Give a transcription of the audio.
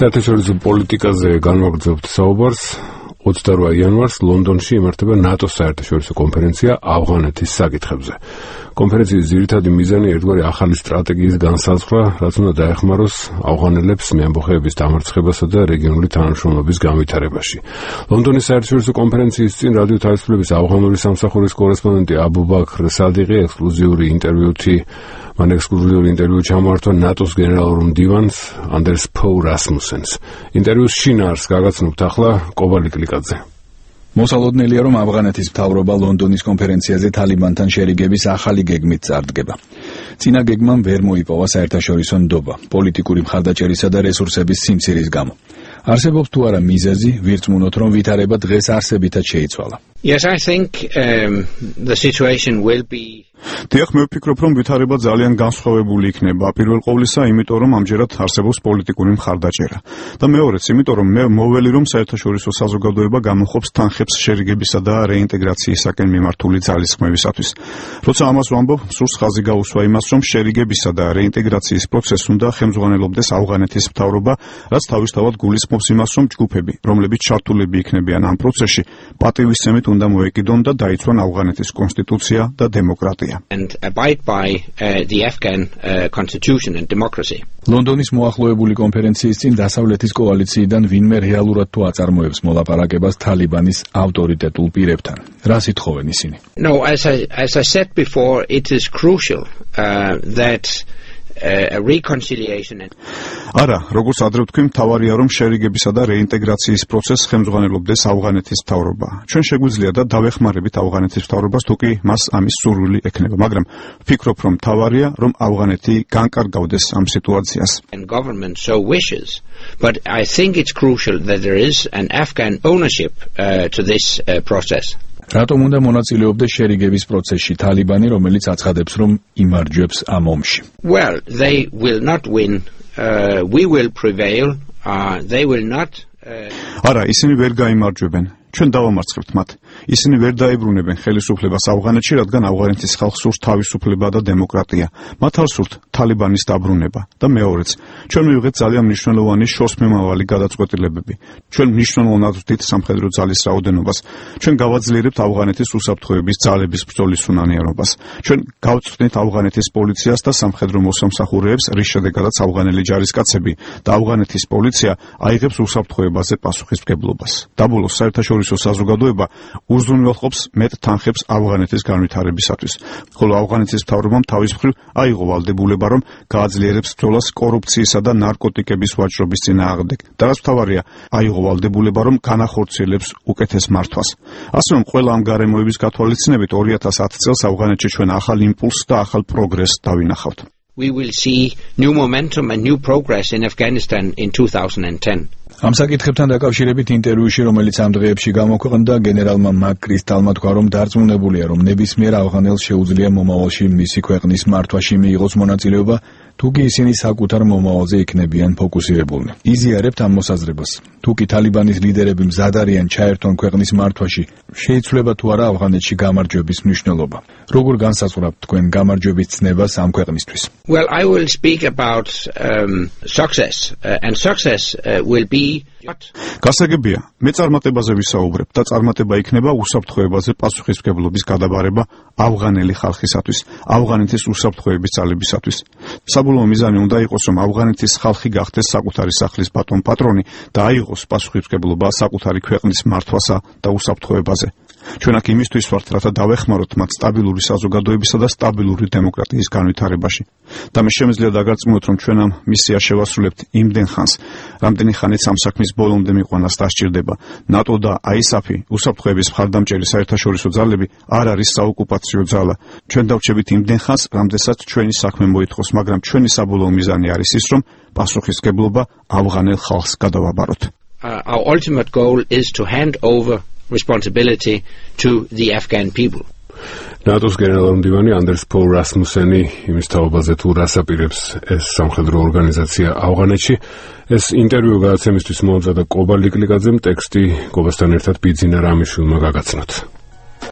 საერთაშორისო პოლიტიკაზე განვაგრძობთ საუბარს. 28 იანვარს ლონდონში იმართება ნატოს საერთაშორისო კონფერენცია ავღანეთის საკითხებზე. კონფერენციის ძირითადი მიზანი ერთგვარი ახალი სტრატეგიის განსაზღვრა, რაც უნდა დაეხმაროს ავღანელებს მეამბოხეების დამარცხებასა და რეგიონული თანამშრომლობის განვითარებაში. ლონდონის საერთაშორისო კონფერენციის წინ რადიო თავისუფლების ავღანური სამსახურის კორესპონდენტი აბუ-ბაქრ სადიqi ექსკლუზიური ინტერვიუ ჩამოართვა ნატოს გენერალურ მდივანს ანდერს ფოუ რასმუსენს. ინტერვიუს შინაარსს გაგაცნობთ ახლა კობალი კლიკაძე. მოსალოდნელია, რომ ავღანეთის მთავრობა ლონდონის კონფერენციაზე თალიბანთან შერიგების ახალი გეგმით წარდგება. წინა გეგმამ ვერ მოიპოვა საერთაშორისო ნდობა, პოლიტიკური მხარდაჭერისა და რესურსების სიმცირის გამო. არსებობს თუ არა მიზეზი, ვირწმუნოთ, რომ ვითარება დღეს არსებითად შეიცვალა. Yes, I think the situation will be. Დიახ, მე ვფიქრობ, რომ ვითარება ძალიან განსხვავებული იქნება. პირველ ყოვლისა, იმიტომ რომ ამჯერად არსებობს პოლიტიკური მხარდაჭერა. და მეორეც, იმიტომ რომ მე მოველი რომ საერთაშორისო საზოგადოება გამოხობს თანხებს შერიგებისა და რეინტეგრაციისაკენ მიმართული ძალისხმევისათვის. როცა ამას ვამბობ, სურს ხაზი გაუსვა იმას, რომ შერიგებისა და რეინტეგრაციის პროცესს უნდა ხელმძღვანელობდეს ავღანეთის მთავრობა, რაც თავისთავად გულისხმობს იმას, რომ ჯგუფები, რომლებიც ჩართულები იქნებიან ამ პროცესში, პატივისცემით უნდა მოეკიდონ და დაიცვან ავღანეთის კონსტიტუცია და დემოკრატია. And abide by the Afghan constitution and democracy. ლონდონის მოახლოებული კონფერენციის წინ დასავლეთის კოალიციიდან ვინმე რეალურად თუ აწარმოებს მოლაპარაკებას თალიბანის ავტორიტეტულ პირებთან. რას ითხოვენ ისინი? No, as I said before, it is crucial that a reconciliation and არა, როგორც ადრე ვთქვი, მთავარია რომ შერიგებისა და რეინტეგრაციის პროცესს ხელმძღვანელობდეს ავღანეთის მთავრობა. ჩვენ შეგვიძლია და დავეხმარებით ავღანეთის მთავრობას, თუკი მას ამის სურვილი ექნება, მაგრამ ვფიქრობ, რომ მთავარია რომ ავღანეთი განკარგავდეს ამ სიტუაციას. And government so wishes, but I think it's crucial that there is an Afghan ownership to this process. რატომ უნდა მონაწილეობდეს შერიგების პროცესში თალიბანი, რომელიც აცხადებს, რომ იმარჯვებს ამ ომში? Well, they will not win. We will prevail. They will not. არა, ისინი ვერ გაიმარჯვებენ. ჩვენ დავამარცხებთ მათ. ისინი ვერ დაებრუნებენ ხელისუფლებას ავღანეთში, რადგან ავღანეთის ხალხს სურს თავისუფლება და დემოკრატია. მათ არ სურთ თალიბანის დაბრუნება. და მეორეც, ჩვენ მივიღეთ ძალიან მნიშვნელოვანი შორსმემავალი გადაწყვეტილებები. ჩვენ მნიშვნელოვნად ვდით სამხედრო ძალის რაოდენობას. ჩვენ გავაძლიერებთ ავღანეთის უსაფრთხოების ძალების ბრძოლის უნანიანობას. ჩვენ გავწვდით ავღანეთის პოლიციას და სამხედრო მოსამსახურეებს, რის შედეგადაც ავღანელი ჯარისკაცები და ავღანეთის პოლიცია აიღებს უსაფრთხოებაზე პასუხისმგებლობას. დაბოლოს საერთაშორისო საზოგადოება უზრუნველყოფს მეტ თანხებს ავღანეთის განვითარებისათვის, ხოლო ავღანეთის მთავრობამ თავის მხრივ აიღო ვალდებულება, რომ გააძლიერებს ბრძოლას კორუფციისა და ნარკოტიკების ვაჭრობის წინააღმდეგ. და რაც მთავარია, აიღო ვალდებულება, რომ განახორციელებს უკეთეს მართვას. ასე რომ ყველა ამ გარემოების გათვალისწინებით 2010 წელს ავღანეთში ჩვენ ახალ იმპულსს და ახალ პროგრესს დავინახავთ. We will see new momentum and new progress in Afghanistan in 2010. ამ საკითხებთან დაკავშირებით ინტერვიუში, რომელიც ამ დღეებში გამოქვეყნდა, გენერალმა მაკ-კრისტალმა თქვა, რომ დარწმუნებულია, რომ ნებისმიერ ავღანელს შეუძლია მომავალში მისი ქვეყნის მართვაში მიიღოს მონაწილეობა, თუკი ისინი საკუთარ მომავალზე იქნებიან ფოკუსირებულნი. იზიარებთ ამ მოსაზრებას. თუკი თალიბანის ლიდერები მზად არიან ჩაერთონ ქვეყნის მართვაში, შეიცვლება თუ არა ავღანეთში გამარჯვების მნიშვნელობა. როგორ განსაზღვრავთ თქვენ გამარჯვების ცნებას ამ ქვეყნისთვის? Well, I will speak about success, and success will be გასაგებია, მე წარმატებაზე ვისაუბრებ და წარმატება იქნება უსაფრთხოებაზე პასუხისმგებლობის გადაბარება ავღანელი ხალხისათვის, ავღანეთის უსაფრთხოების ძალებისათვის. საბოლოო მიზანი უნდა იყოს, რომ ავღანეთის ხალხი გახდეს საკუთარი სახლის ბატონ-პატრონი და აიღოს პასუხისმგებლობა საკუთარი ქვეყნის მართვასა და უსაფრთხოებაზე. ჩვენ აქ იმისთვის ვართ, რათა დავეხმაროთ მათ სტაბილური საზოგადოებისა და სტაბილური დემოკრატიის განვითარებაში. და მე შემიძლია დაგარწმუნოთ, რომ ჩვენ ამ მისიას შევასრულებთ იმდენ ხანს, რამდენი ხანიც ამ საქმის ბოლომდე მიყვანას დასჭირდება. ნატო და ISAF-ი, უსაფრთხოების მხარდამჭერი საერთაშორისო ძალები არ არის საოკუპაციო ძალა. ჩვენ დავრჩებით იმდენ ხანს, რამდენსაც ჩვენი საქმე მოითხოვს, მაგრამ ჩვენი საბოლოო მიზანი არის ის, რომ პასუხისმგებლობა ავღანელ ხალხს გადავაბაროთ. Our ultimate goal is to hand over responsibility to the Afghan people. ნატოს გენერალური მდივანი ანდერს ფოუ რასმუსენი იმის თაობაზე თუ რას აპირებს ეს სამხედრო ორგანიზაცია ავღანეთში. ეს ინტერვიუ გადაცემისთვის მოამზადა კობალი კლიკაძემ, ტექსტი კობასთან ერთად ბიძინა რამიშვილმა გაგაცნოთ.